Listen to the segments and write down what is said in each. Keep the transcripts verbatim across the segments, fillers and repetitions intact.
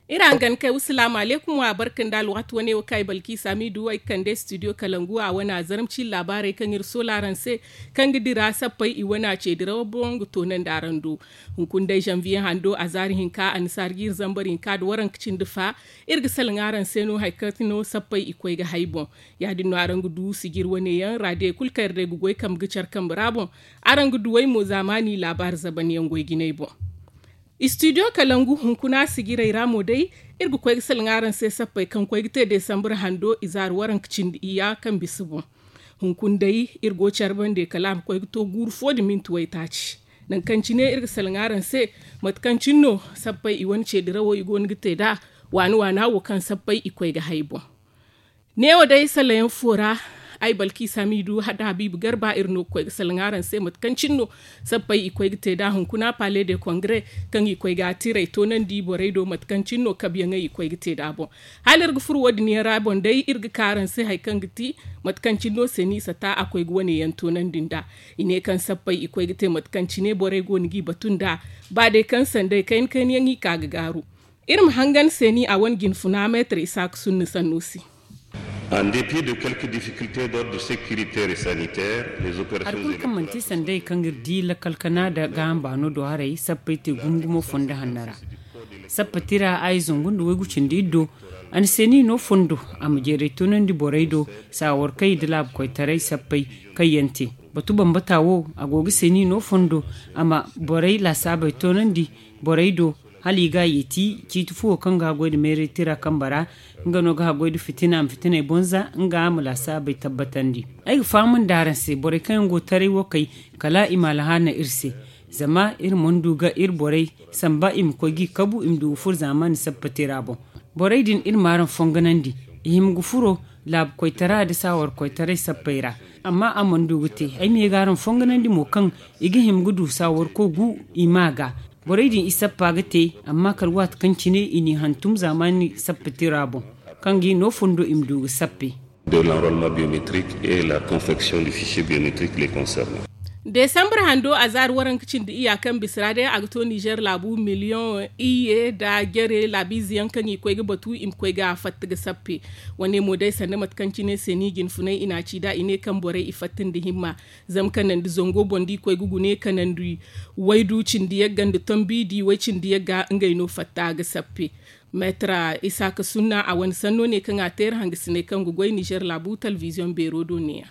Iri hangan kay wa salaamu aleykum wa barka nda alwaati wane wo kaŋ ay balki saamiidu ay kande studio kalangu a wane a zarma ciiri laabaarey kaŋ iri soola araŋ se, kaŋ ga dira sappey i wane a ce dirawo boŋ ga toonandi araŋ do. Hunkuna day zanbiye hando a zaari hinka annasaara ga iri zambar hinka nda waranka cindi fa. Iri ga salaŋ araŋ se no hari kaŋ no sappey i koy ga hay boŋ. Ya- din no araŋ ga du sijir wane yaŋ ra day kulu kaŋ iri day ga goy kambe ga care kambe ra boŋ. Araŋ ga duwey mo zaamaani laabaari zaban yaŋ goy jinay boŋ. Studio kalangu hunkuna sijirey ra mo day, iri ga koy ga salaŋ araŋ se sappey kaŋ koy ga te desambar hando i zaari waranka cindi iyya kaŋ bisa boŋ. Hunkuna day iri go care bande kala a ma koy ga to guuru fo nda minti waytaaci. Nangu kaŋ cine iri ga salaŋ araŋ se mate kaŋ cine no sappey i wane ce dirawo i go no ga te nd'a waani waana wo kaŋ sappey i koy ga hay boŋ. Neewo day salayaŋ fo ra, ay balki samiidu hada habiibu garba iri no ga koy ga salaŋ araŋ se mate kaŋ cine no sappey i koy ga te nd'a hunkuna pale de kongre, kaŋ i koy ga a tiray toonandi borey do mate kaŋ cine no kabiyaŋey i koy ga te nd'a boŋ. Hala iri ga furo wo- din yaŋ ra boŋ day iri ga ka araŋ se hari kaŋ ga ti mate kaŋ cine no se no i sata a koy ga wane yaŋ toonandi nd'a. I ne kaŋ sappey i koy ga te mate kaŋ cine borey go no g'i batu nd'a. Ba day kaŋ sanday kayna kayna yaŋ i ka ga gaaru. Iri ma hangan seeni a wane jinfuna meetar isaaka sunna sanno se. En dépit de quelques difficultés d'ordre sécuritaire et sanitaire, les opérations hari kulu kaŋ manti sanday kaŋ iri di lakkal kana nda gaaham baano do haray sappey te gumo gumo fondo hanno ra. Sappa tira a ye zangu nda waygu cindi iddo. A na seeni no fondo a ma jeeray toonandi borey do saawarkey nda laabu koytaray sappey kaŋ yaŋ te. Batu bambata wo a go ga seeni no fondo a ma borey laasaabey toonandi borey do. Hala i ga a yeeti ciiti fuwo kaŋ ga haggoy nda meeray tira kambe ra. Nga no ga haggoy nda fitina ma fitiney bonza nga a ma laasaabey tabbatandi. Ay ga faham nda araŋ se borey kaŋ yaŋ go taray wo kay kala i ma alhaana iri se. Zama iri mana du ga iri borey samba i ma koy g'i kabu i ma du ga furo zaamaani sappa tira boŋ. Borey din iri ma araŋ fonganandi i hima ga furo laabu koytara nda saawar koytaray sappey ra. Amma a mana du ga te ay ma ye ga araŋ fonganandi mo kaŋ i ga hima ga du saawar koy gu i ma ga. Borey din i sappa ga te amma kala waati kaŋ cine i n'i hantum zaamaani sappa tira boŋ kaŋ ga i no fondo i ma du ga sappe. De l'enrôlement biométrique et la confection du fichier biométrique les concernant. Desambar hando a zaari waranka cindi iyya kaŋ bisa ra day a ga to nizer laabu miliyoŋ iyye nda jare laabiize yaŋ kaŋ i koy ga batu i ma koy ga fatta ga sappe. Wane mo day sanda mate kaŋ cine se ni jinfunay i n'a ci nd'a i ne kaŋ borey i fatta nda himma. Zama kanandi zango boŋ da i koy ga gune kanandi waydu cindi yagga nda tombi da i way cindi yagga ngey no fatta ga sappe. Meetra isaaka sunna a wane sanno ne kaŋ a teeri hangasiney kaŋ ga goy nizer laabu talbiziyoŋ beero do neeya.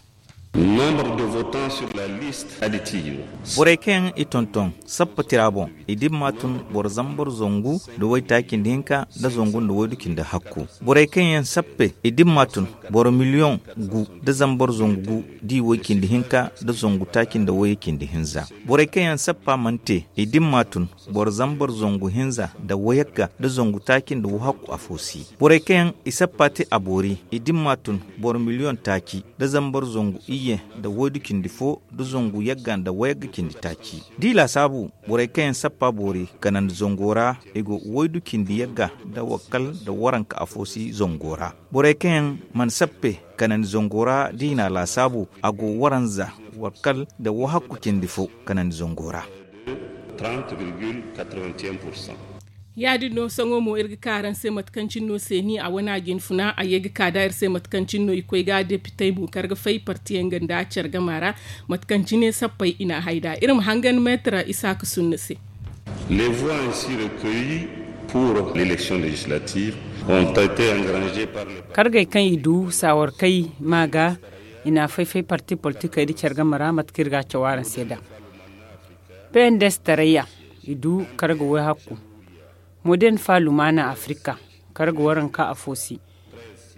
Nombre de votants sur la liste additive. Borey kaŋ yaŋ i tonton sappa tira boŋ i dimma tun boro zambar zangu nda waytaaci nda hinka nda zangu nda waydu cindi hakku. Borey kaŋ yaŋ sappe i dimma tun boro miliyoŋ gu nda zambar zangu gu da i way cindi hinka nda zangu taaci nda wayey cindi hinza. Borey kaŋ yaŋ sappa mana te i dimma tun boro zambar zangu hinza nda wayagga nda zangu taaci nda wahakku afo si. Borey kaŋ yaŋ i sappa te a boori i dimma tun boro miliyoŋ taaci nda zambar zangu iyye nda waydu cindi fo nda zangu yagga nda wayagga cindi taaci. Da i laasaabu borey kaŋ yaŋ sappa boori kanandi zango ra i go waydu cindi yagga nda wakkal nda waranka afo si zango ra. Borey kaŋ yaŋ mana sappe kanandi zango ra da i n'a laasaabu a go waranza wakkal nda wahakku cindi fo kanandi zango ra. Ya- din no sohõ mo iri ga ka araŋ se mate kaŋ cine no seeni a wane a jinfuna a ye ga ka nd'a iri se mate kaŋ cine no i koy ga depitey mo kar ga fay parti yaŋ ga nda care gama ra. Mate kaŋ cine sappey i n'a hay nd'a iri ma hangan meetar isaaka sunna se. Les voix ainsi recueillies pour l'élection législative ont été engrangées par les partis. Kargey kaŋ i du saawarkey ma ga i n'a fay-fay parti politikey nda care game ra mate kaŋ iri ga a caw araŋ se nd'a. P N D S tarayya i du karga way-hakku. Modern fa lumaana afrika karga waranka afo se.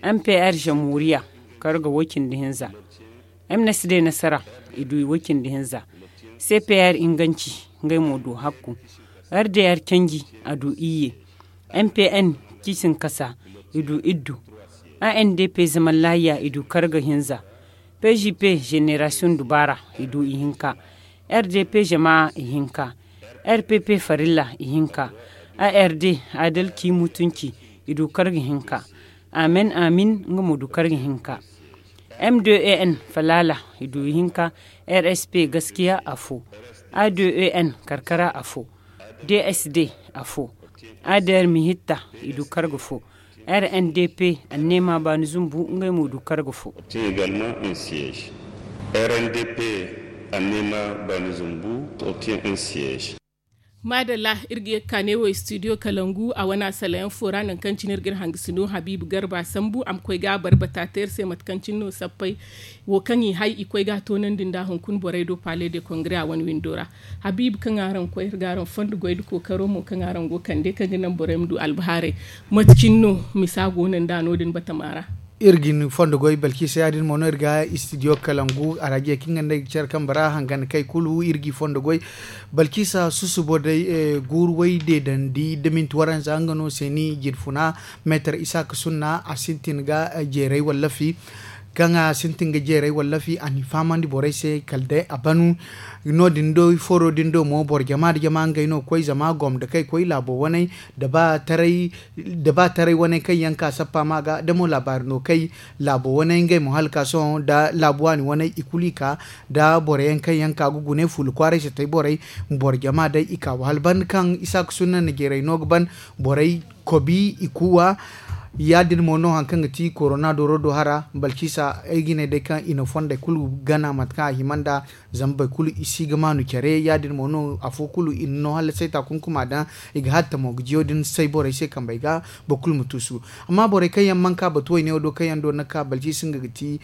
M P R jamhuriya karga way-cindi hinza. M N S D nasara i du i way-cindi hinza. C P R inganci ngey mo du hakku. R D R canji a du iyye. M P N ciisinkasa i du iddu. A N D P zaman lahiya i du karga hinza. P J P jenerasiyoŋ dubaara i du ihinka. R D P jama ihinka. R P P farilla ihinka. A R D adalci mutunci i du karga hinka. Amen amin nga mo du karga hinka. M d e n falaala i du ihinka. R s p gaskiya afo. A d e n karkara afo. D s d afo. A d r mihitta i du karga fo. R n d p annema baani zumbu ngey mo du karga fo. R n d p annema baani zumbu obtien un siège. Maadalla. Iri ga ye ga ka neewo studio kalangu a wane asalayaŋ fo ra nangu kaŋ cine iri ga iri hangasino habiibu garba sambu a ma koy ga a barbata te iri se mate kaŋ cine no sappey wo kaŋ i hay i koy ga a toonandi nda hunkuna borey do pale de kongre a wane windo ra. Habiibu kaŋ araŋ koy iri ga araŋ fondo goy nda kookaro mo kaŋ araŋ go ga kande kaŋ ga naŋ borey ma du albahaarey. Mate cine no misa go no nda no- din batama ra? Iri ga ni fondo goy balkisa ya- din mo no iri ga studio kalangu arajiya kaŋ ga nda ay ga care kambe ra hangan kay kulu iri ga i fondo goy. Balkisa susubo day guuru way deedandi da minti waranza nga no se ni jirfuna. Meetar isaaka sunna a sintin ga jeeray wallafi. Kaŋ a sintin ga jeeray wallafi a n'i fahamandi borey se kala day a banu. No- din do foro din do mo boro jama nda jama ngey no ga koy zama gomda kay koy laabo waney da ba taray da ba taray waney kaŋ yaŋ ka sappa ma ga da mo laabaari no kay. Laabo waney ngey mo hala ka sohõ da laabu waani waney i kulu i ka da boro yaŋ kaŋ yaŋ ka ga gune fuula kwaaray se tay borey. Boro jama day i ka wa hala banda kaŋ isaaka sunna na jeeray no ga ban borey kobi i kuuwa. Ya- din mo no hari kaŋ ga ti korona dooro do hara balkisa ay ga ne day kaŋ i na fondey kulu gana mate kaŋ a hima nd'a. Zama boro kulu i si ga maanu care ya- din mo no afo kulu i na no hala sayta kunkuma daŋ. I ga hatta mo ga jiyo din say borey se kambey ga boro kulu ma tuusu. Amma borey kaŋ yaŋ mana ka batu wayne wo do kaŋ yaŋ do ni ga ka balkisa nga ga ti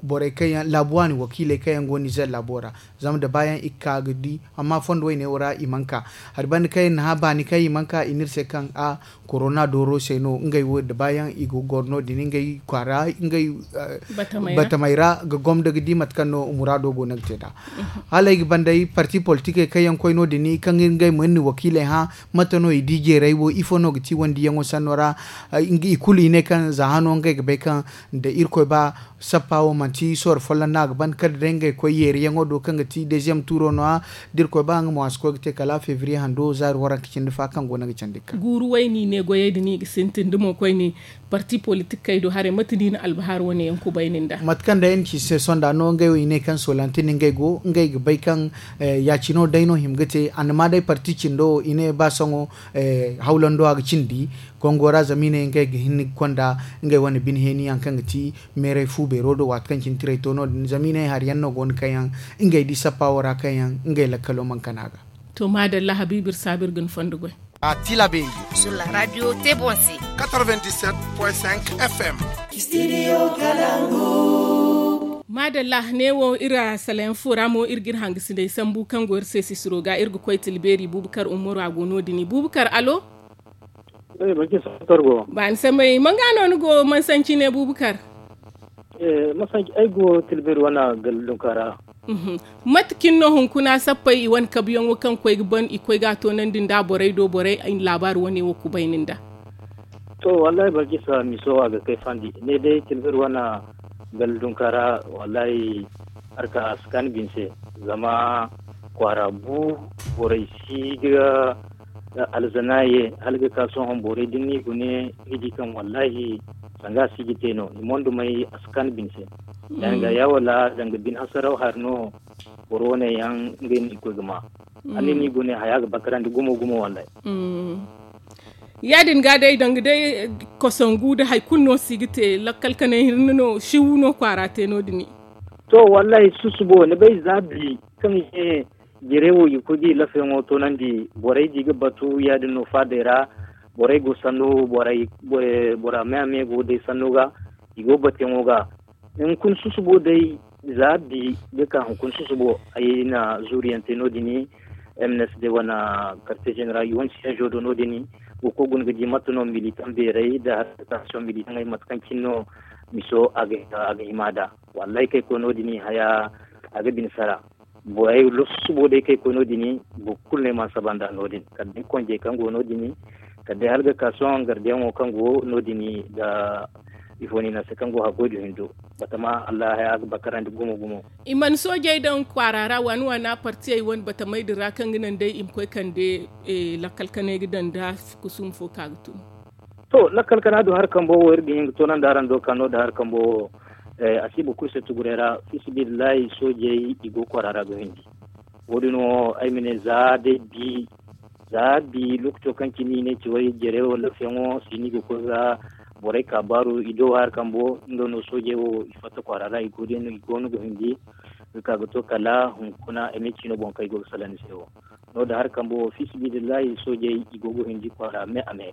borey kaŋ yaŋ laabu waani wakiiley kaŋ yaŋ go nizer laabo ra. Zama da baayaŋ i ga ka ga di amma fondo wayne wo ra i mana ka. Hari banda kaŋ yaŋ na hã baani kaŋ i mana ka i ne iri se kaŋ a korona dooro se no ngey wo da baayaŋ i go ga goro no- din ngey kwaara ngey batamey ra ga gomda ga di mate kaŋ no muraado go no ga te nd'a. Hala ay ga ban day parti politikey kaŋ yaŋ koy no- din kaŋ ngey mo iri na wakiiley hã mate no i di jeeray wo ifo no ga ti wandiyaŋo sanno ra? I kulu i ne kaŋ za hano ngey ga bay kaŋ da irkoy ba sappa wo manti sooro folloŋ no a ga ban kala day ngey koy yeeriyaŋo do kaŋ ga ti deeziyem tuuro no- ya. Da irkoy ba nga mo a si koy ga te kala febriye hando zaari waranka cindi fa kaŋ go no ga candi ga ka guuru way no i ne goyey din i ga sintin da mo koyne. Parti politikey do haray mate no i na albahaari wane yaŋ kubayni nd'a? Mate kaŋ day ay na ci se sonda no ngey wo i ne kaŋ solantin ngey go ngey ga bay kaŋ ya- cino day no hima ga te annama day parti cindo wo i ne ba sohõ hawlando a ga cindi kongo ra zama i ne ngey ga hin ga konda ngey wane bine heeni yaŋ kaŋ ga ti meeray fu beero do waati kaŋ cine tiray to no- din zama i ne hari yaŋ no go no kaŋ yaŋ ngey di sappa wo ra kaŋ yaŋ ngey lakkalo mana kana ga. To maadalla habiibu iri saabu iri ga ni fondo goy. A tilabeeri sur la radio te boŋ se. F m. Maadalla neewo iri a salayaŋ fo ra mo iri ga iri hangasiney sambu kaŋ go iri se sisiro ga iri ga koy tilbeeri buubakar umaru a go no- din buubakar alo. Baani samay manga no ni go mansanci ne buubakar? Masanci ay go tilbeeri wane galdunka ra. Mate cine no hunkuna sappey i wane kabuyaŋo kaŋ koy ga ban i koy ga a toonandi nda borey do borey laabaari wane wo kubayni nda? To wallahi balkisa miso a ga kay fandi ne day tilbir wana galdunka ra. Wallahi harka a si kaani bine se zama kwaara bu borey si ga alzana ye hala ga ka sohõ borey da ni gune ni di kaŋ wallahi sanga a si ga te no i mondo may a si kaani bine se. Danga ya wala danga bine hasaraw hari no boro wane yaŋ ngey no i koy ga ma. Hala ni gune haya ga bakarandi gumo gumo wallahi. Ya- din ga day danga day kosongu nda hari kulu no si ga te lakkal kanay hirne no siwu no kwaara te no- din. To wallahi susubo ni bay za bi kaŋ i ne jere wo i ga koy ga i lafayaŋo toonandi borey di ga batu ya- din no faadey ra. Borey go sanno bora me a me go day sanno ga i go batuyaŋo ga. Hunkuna susubo day za bi ga ka hunkuna susubo ay na zuuriyaŋ te no- din. M n s d wane karte zeneral i wane siyaŋ zo do no- din. Wo koy guna ga di mate no militaŋ beerey nda harkataasiyoŋ militaŋey mate kaŋ cine no miso a ga hima nd'a. Wallahi kaŋ ay koy no- din haya a ga bine sara. Borey lossubo day kaŋ ay koy no- din boro kulu no ay mana saba nd'a no- din kala day konjey kaŋ go no- din kala day hala ga ka sohõ gardiyaŋo kaŋ go no- din nda ifo no i ne a se kaŋ go haggoy da hindo. Batama allah haya ga bakarandi gumo gumo. I mana soojey daŋ kwaara ra waani waana partiyey wane batamey din ra kaŋ ga naŋ day i ma koy kande lakkal kanay ga daŋ nda kusum fo ka ga tun. To, lakkal kana du hari kambo wo iri ga hin ga toonandi araŋ do kaŋ no da hari kambo wo. A si boro kulu se tuguray ra, fisibillahi soojey i go kwaara ra ga hindi. Wo- din wo ay ma ne za day bi za bi lookaco kaŋ cine i ne cawey jare wo lafiyaŋo si no i ga koy ga borey ka baaru i do hari kambo nga no soojey wo i fatta kwaara ra i go no ga hindi ga ka ga to kala hunkuna ay ma ne ciino boŋ kaŋ i go ga salaŋ ni se wo. No- din hari kambo wo fisibillahi soojey i go ga hindi kwaara me a me.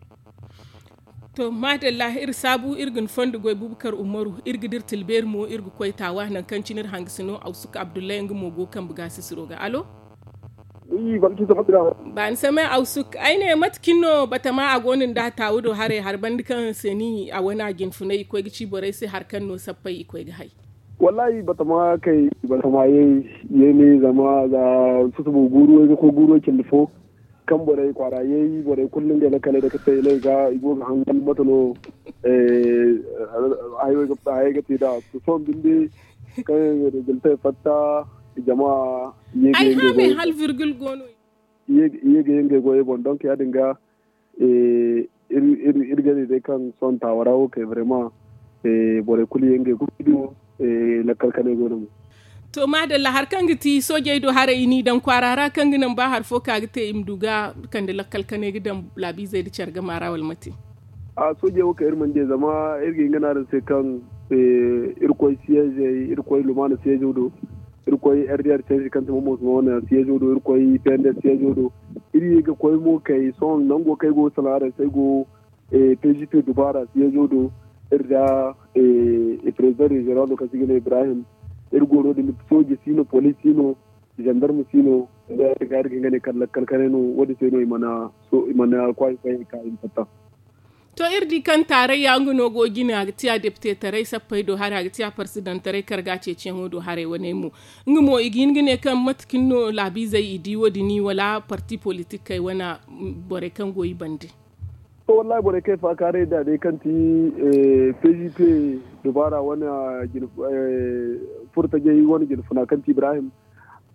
To maadalla iri saabu iri ga ni fondo goy bubakar umaru iri ga dira tilbeeri mo iri ga koy taawa nangu kaŋ cine iri hangasino awsuk abdullahi nga mo go kambe ga sisiro ga alo. Baani samay awsuk ay ne mate cine no batama a go no ni da taawu do haray hari banda kaŋ se ni a wane a jinfunay i koy ga ci borey se hari kaŋ no sappey i koy ga hay. Wallaahi batama kay batama yay, yay ne zama za susubo guuru way ga koy guuru way cindi fo. Kaŋ borey kwaara yay borey kulu no ngey lakkaley day ga te i ne i ga i go ga hangan mate no. Hayey ga te nd'a sohõ binde kaŋ yaŋ ga te fatta jama. Ay haamay hala virgil go no. Ye ga ye ngey goyey boŋ donk ya- din ga iri ga ne day kaŋ sohõ taawa ra wo kay vraiment borey kulu ye ngey goyey do. Lakkal kanay go no mo. To maadalla hari kaŋ ga ti soojey do haray i n'i daŋ kwaara ra kaŋ ga naŋ ba hari fo ka ga te i ma du ga kande lakkal kanay ga daŋ laabiizey nda care gama ra wala mate? A soojey wo kay iri mana di zama iri ga hin ga ne araŋ se kaŋ iri koy siyeezey iri koy lumaana siyeezo do. Iri koy r d r canji kaŋ ti momo suma wane siyeezo do iri koy pnds siyeezo do. Iri ye ga koy mo kay sohõ nango kaŋ ay go ga salaŋ araŋ se ay go p g p dubaara siyeezo do. Iri da president regional do kaŋ se i ga ne ibrahim. Iri go no- din sooje si no police si no, gendarme si no. Iri ga hin ga ne kala lakkal kanay no wo- din se no i mana kwaay fayey ka i ma fatta. To iri di kaŋ taarayya nga no go jine a ga tiya deptetaray sappey do haray a ga tiya parsidantaray karga ceeciyaŋo do haray waney mo. Nga mo i ga hin ga ne kaŋ mate kaŋ no laabiizey i di wo- din wala parti politikey wane borey kaŋ go i bande? To wallaahi borey kaŋ ay faakaaray nd'a day kaŋ ti p g p dubaara wane furtajey wane jinfuna kaŋ ti ibrahim.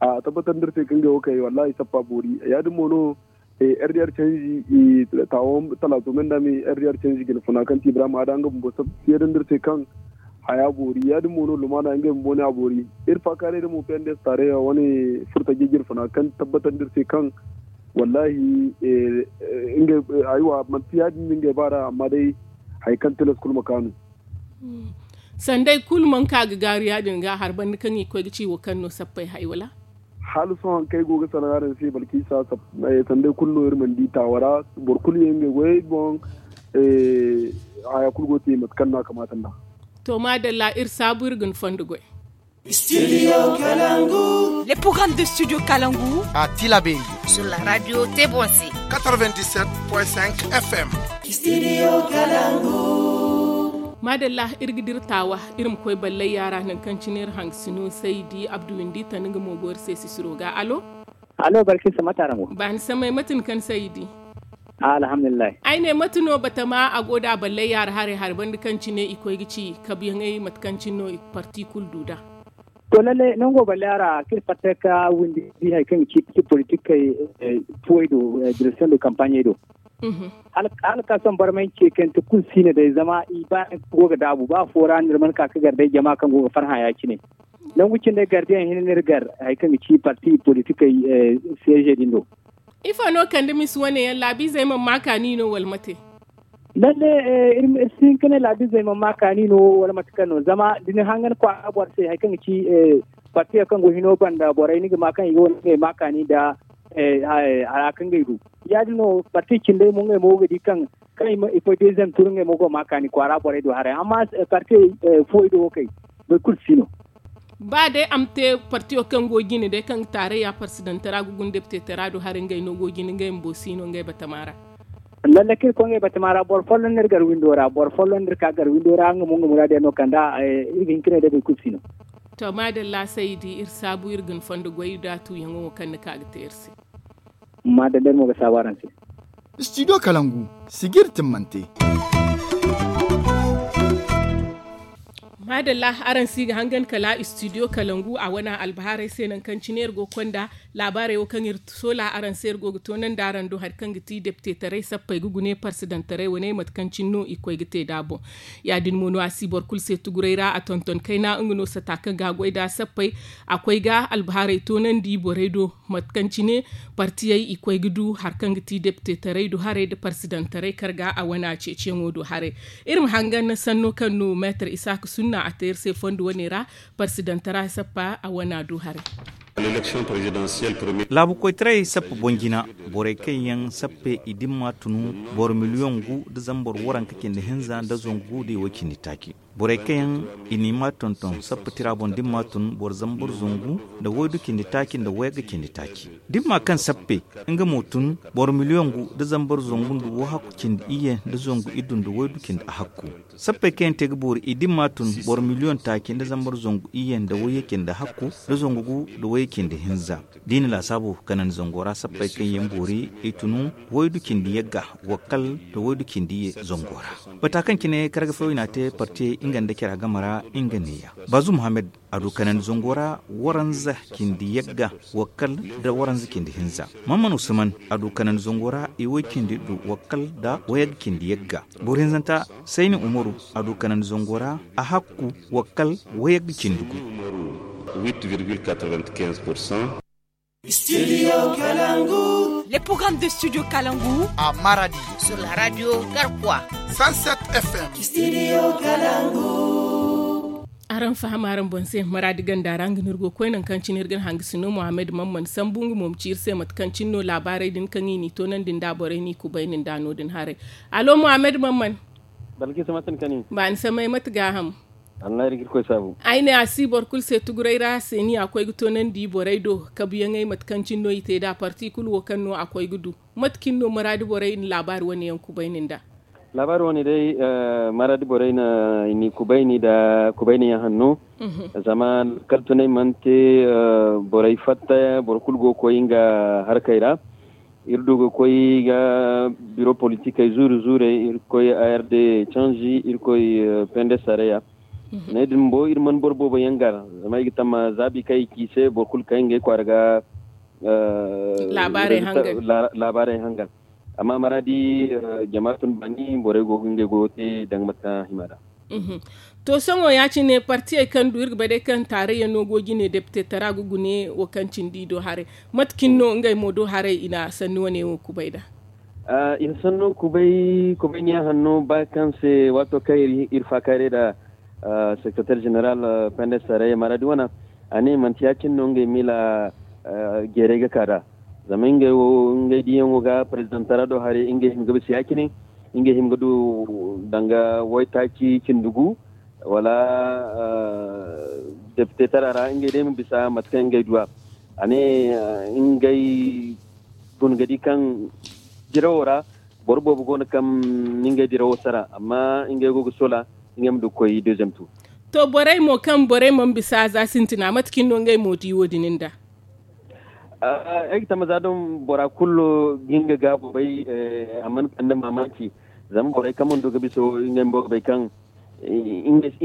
A tabbatandi iri se kaŋ ngey wo kay wallaahi sappa boori ya- din mo no. R d r canji i taawo talaato me nda me r d r canji jinfuna kaŋ ti ibrahim a da nga bumbo seedandi iri se kaŋ haya boori ya- din mo no lumaana ngey bumbo ne a boori. Iri faakaaray din mo p n d s taarayya wane furtajey jinfuna kaŋ tabbatandi iri se kaŋ wallaahi ngey aywa manti ya- din no ngey baara amma day hari kaŋ tilas kulu ma kaanu. Sanday kulu mana ka ga gaaru ya- din ga hari banda kaŋ i koy ga ci wo kaŋ no sappey hay wala? Hala sohõ hari kaŋ ay go ga salaŋ araŋ se balkisa sanday kulu no iri mana di taawa ra. Boro kulu ye ngey goyey boŋ. Haya kulu go te mate kaŋ no a kamaata nd'a. To maadalla iri saabu iri ga ni fondo goy. Studio kalangu. Le programme de studio kalangu. A tilaberi sur la radio tebonse. Quatre-vingt-dix-sept point cinq f m. Studio kalangu. Maadalla iri ga dira taawa iri ma koy ballay yaara nangu kaŋ cine iri hangasino saydi abdu windi tana nga mo go iri se sisiro ga alo. Alo barkisa mate araŋ go? Baani samay mate ni kaŋ saydi? Alhamdulillahi. Ay ne mate no batama a go nd'a ballay yaara haray hari banda kaŋ cine i koy ga ci kabuyaŋey mate kaŋ cine no parti kulu du nd'a? To lalle nango ballay yaara kaŋ iri fatta ka windi hari kaŋ ga ci parti politikey fuwey do direksiyoŋ do kampaɲey do. Hala ka sohõ barmay ce kaŋ te kulu si no day zama i ba go ga daabu ba fo ra no iri mana ka ga gar day jama kaŋ go ga farhã ya- cine. Nangu cindey gar da yaŋ hinne no iri gar hari kaŋ ga ci parti politikey siyeeze din do. Ifo no kande misi wane yaŋ laabiizey mana ma kaani no wala mate? Lalle iri si hin ka ne laabiizey mana ma kaani no wala mate kaŋ no zama da ni hangan kwaara boro se hari kaŋ ga ci partiyo kaŋ go hino banda borey ni ga ma kaŋ i ga wane ngey ma kaani nda hara kaŋ ngey du. Ya- din no parti cindey mo ngey mo ga di kaŋ kaŋ i koy deeziyem tur ngey mo go ma kaani kwaara borey do haray amma parti fuwey do wo kay boro kulu si no. Ba day a ma te partiyo kaŋ go jine day kaŋ ga taarayya parsidantara ga guna deptetara do haray ngey no go jine ngey bumbo si no ngey batama ra. Lalle kaŋ iri koy ngey batama ra boro folloŋ no iri gar windo ra boro folloŋ no iri ka gar windo ra nga mo nga muraadiyaŋ no kand'a. Iri ga hin ka ne day boro kulu si no. To maadalla saydi iri saabu iri ga ni fondo goy da tuuyaŋo wo kaŋ ni ka ga te iri se. Maadalla iri mo ga saabu araŋ se. Studio kalangu sijiri timmante. Adalla, araŋ si ga hangan kala studio kalangu a wane albahaarey se nangu kaŋ cine iri go ga konda laabaarey wo kaŋ iri soola araŋ se iri go ga toonandi araŋ do hari kaŋ ga ti depitetaray sappey ga gune parsidantaray wane mate kaŋ cine no i koy ga te nd'a boŋ. Ya- din mo no a si boro kulu se tuguray ra a tonton kayna nga no sata kaŋ ga a goy nd'a sappey. A koy ga albahaarey toonandi borey do mate kaŋ cine partiyey i koy ga du hari kaŋ ga ti depitetaray do haray nda parsidantaray kar ga a wane ceeciyaŋo do haray. Iri ma hangan sanno kaŋ no meetar isaaka sunna a te iri se fondo wane ra. Parsidantara sappa a wana du haray. Laabu koytaray sappa boŋ jina, borey kaŋ yaŋ sappe i dimma tunu boro miliyoŋ gu nda zambar waranka cindi hinza nda zangu gu nda i way cindi taaci. Borey kaŋ yaŋ i n'i ma tonton sappa tira boŋ dimma tun boro zambar zangu nda waydu cindi taaci nda wayagga cindi taaci. Dimma kaŋ sappe nga mo tun boro miliyoŋ gu nda zambar zangu nda wahakku cindi iyye nda zangu iddu nda waydu cindi ahakku. Sappey kaŋ yaŋ te ga boori i dimma tun boro miliyoŋ taaci nda zambar zangu iyye nda wayye cindi hakku nda zangu gu nda wayye cindi hinza. Da i na laasaabu kanandi zango ra sappey kaŋ yaŋ boori i tunu waydu cindi yagga wakkal nda waydu cindi iyye zango ra. Bata kaŋ cine karga fo i n'a te partiyey nga nda cara game ra nga neeya. Bazu muhammad a du kanandi zango ra waranza cindi yagga wakkal nda waranza cindi hinza. Mamman usman a du kanandi zango ra i way cindi du wakkal nda wayagga cindi yagga. Boro hinzanta sayni umaru a du kanandi zango ra a hakku wakkal wayagga cindi gu. Studio kalangu. Le programme de studio kalangu a maradi sur la radio garkwa. Cent sept f m. Studio kalangu. Araŋ faham araŋ boŋ se maradi ganda ra nga no iri go ga koy nangu kaŋ cine iri ga ni hangasino muhammad mamman sambu nga mo ma ci iri se mate kaŋ cine no laabaarey din kaŋ i n'i toonandi nd'a borey n'i kubayni nd'a no- din haray. Allo muhammad mamman. Balkisa mate ni kani? Baani samay mate gaaham? Wallahi iri ga iri koy saabu. Ay ne a si boro kulu se tuguray ra seeni a koy ga toonandi borey do kabuyaŋey mate kaŋ cine no i te nd'a parti kulu wo kaŋ no a koy ga du. Mate cine no maraadi borey na laabaari wane yaŋ kubayni nd'a? Laabaari wane day, maraadi borey na i n'i kubayni nda kubayni yaŋ hanno. Zama kala tunay mana te, borey fatta boro kulu go ga koy nga harkey ra. Iri du ga koy ga biro politikey zuuri zuurey iri koy a r d canji iri koy pende sareya. Ne din bo iri mana boro boobo yaŋ gar zama ay ga tamma zaabi kaŋ i ci i se boro kulu kaŋ ngey kwaara ga laabaarey hangan. Amma maraadi jama tun baani borey go ga ngey goyo te danga mate kaŋ a hima nd'a. To sohõ ya- cine partiyey kaŋ du iri ga bay day kaŋ taarayya no go jine depite tara ga gune wo kaŋ cindi i do haray. Mate cine no ngey mo do haray i na sanni wane wo kubay nd'a? I na sanno kubay kubayniyaŋ hanno ba kaŋ se waato kaŋ iri faakaaray nd'a sekreteer jeneral pende saray maraadi wana. A ne manti ya- cine no ngey miila jeeray ga ka nd'a. Zama ngey wo ngey diyaŋo ga prezidantara do haray ngey hima ga bisa ya- cine. Ngey hima ga du danga waytaaci cindi gu wala depite tara ra ngey day ma bisa mate kaŋ ngey du a. A ne ngey guna ga di kaŋ dirawo ra boro boobo go no kaŋ na ngey dirawo sara amma ngey go ga soola ngey ma du ga koy deuxième tour. To borey mo kaŋ borey mana bisa za sintina mate cine no ngey mo di wo- din nd'a? Ay ga tamma za doŋ bora kulu ga nga gaabo bay. A mana kande maamaaci zama borey kaŋ mana du ga bisa wo ngey bumbo ga bay kaŋ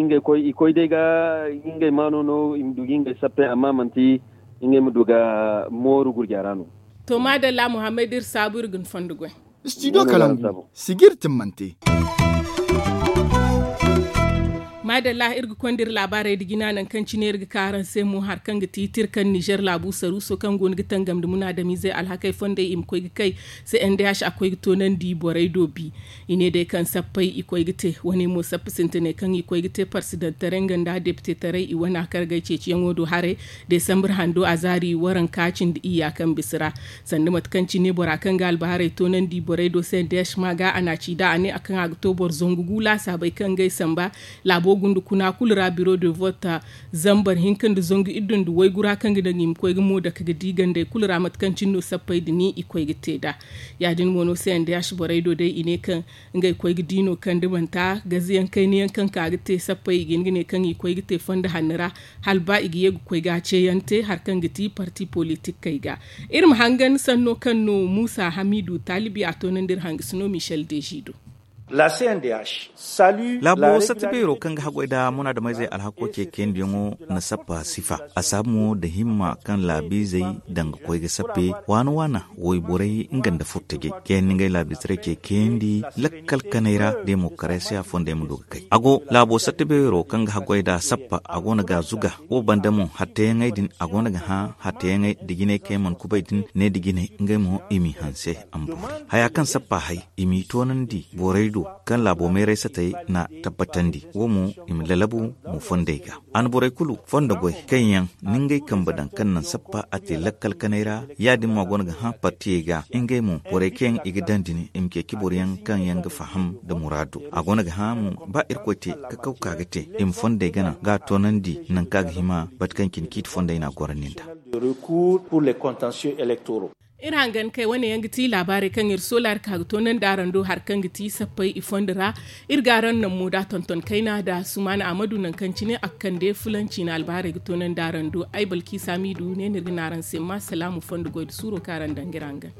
ngey koy i koy day ga ngey maano no i ma du ga ngey sappe amma manti ngey ma du ga mooru gurja ra no. To maadalla muhammad iri saabu iri ga ni fondo goy. Studio kalangu sijir timmante. Maadalla iri ga konda iri laabaarey nda jina nangu kaŋ cine iri ga ka araŋ se mo hari kaŋ ga ti tirkan nizer laabu saruuso kaŋ go no ga tangam nda munaadamiizey alhakey fondey i ma koy ga kay. C n d h a koy ga toonandi borey do bi. I ne day kaŋ sappey i koy ga te wane mo sappa sintinay kaŋ i koy ga te parsidantaray nga nda depitetaray i wana kargay ceeciyaŋo do haray. Desambur hando a zaari waranka cindi iyya kaŋ bisa ra. Sanda mate kaŋ cine bora kaŋ ga albaharay toonandi borey do se desh ma ga a na ci da a ne a kaŋ a ga to boro zangu gu laasaabey kaŋ ga ay samba. Laabo gunda kuna kulu ra biro de vote zambar hinka nda zangu iddu nda waygu ra kaŋ ga daŋ i ma koy ga mo dake ga di gandey kulu ra mate kaŋ cine no sappey da ni i koy ga te nd'a. Ya- din mo no se nda yaasi borey do day i ne kaŋ ngey koy ga di no kaŋ da banta gazayaŋ kayna yaŋ kaŋ ka ga te sappey i ga hin ga ne kaŋ i koy ga te fondo hanno ra. Hala ba i ga ye ga koy ga a ceeyaŋ te hari kaŋ ga ti parti politik kay ga. Iri ma hangan sanno kaŋ no muusa hamiidu taalibi a toonandi iri hangasino michel deji do. Laabo satta beero kaŋ ga haggoy nda munaadameyzey alhako ce keendiyaŋo na sappa sifa a saabu mo nda himma kaŋ laabiizey daŋ ga koy ga sappe waana waana wayborey nga nda furtajey kaŋ yaŋ na ngey laabiizey ce keendi lakkal kanay ra demokarasiya fondey ma du ga kay a go laabo satta beero kaŋ ga haggoy nda sappa a go no ga a zuga wo banda mo hatteyaŋey din a go no ga hã hatteyaŋey nda jinay kaŋ yaŋ mana kubay din ne nda jinay ngey mo i m'i hanse a ma boori haya kaŋ sappa hay i m'i toonandi borey do kaŋ laabo meeray satey na tabbatandi wo mo i ma lalabu mo fondey ga a na borey kulu fondo goy kaŋ yaŋ na ngey kambe daŋ kaŋ naŋ sappa a te lakkal kanay ra ya- din mo a go no ga hã partiyey ga ngey mo borey kaŋ yaŋ i ga daŋ din i ma ceeci boro yaŋ kaŋ yaŋ ga faham nda muraado a go no ga hã mo ba irkoy te kakaw ka ga te i ma fondey gana ga a toonandi nangu kaŋ a ga hima bate kaŋ cine ciiti fondey no a gorandi nd'a. Iri hangan kay wane yaŋ ga ti laabaarey kaŋ iri soolaari ka ga toonandi araŋ do hari kaŋ ga ti sappey i fondo ra. Iri ga araŋ naŋ mo da tonton kayna da sumaana ahmadu nangu kaŋ cine a ga kande fulanci na albaarey ga toonandi araŋ do ay balki saamiidu ne no iri ga ne araŋ se ma salaamu fondo goy nda suuro kaŋ araŋ daŋ ga iri hangan.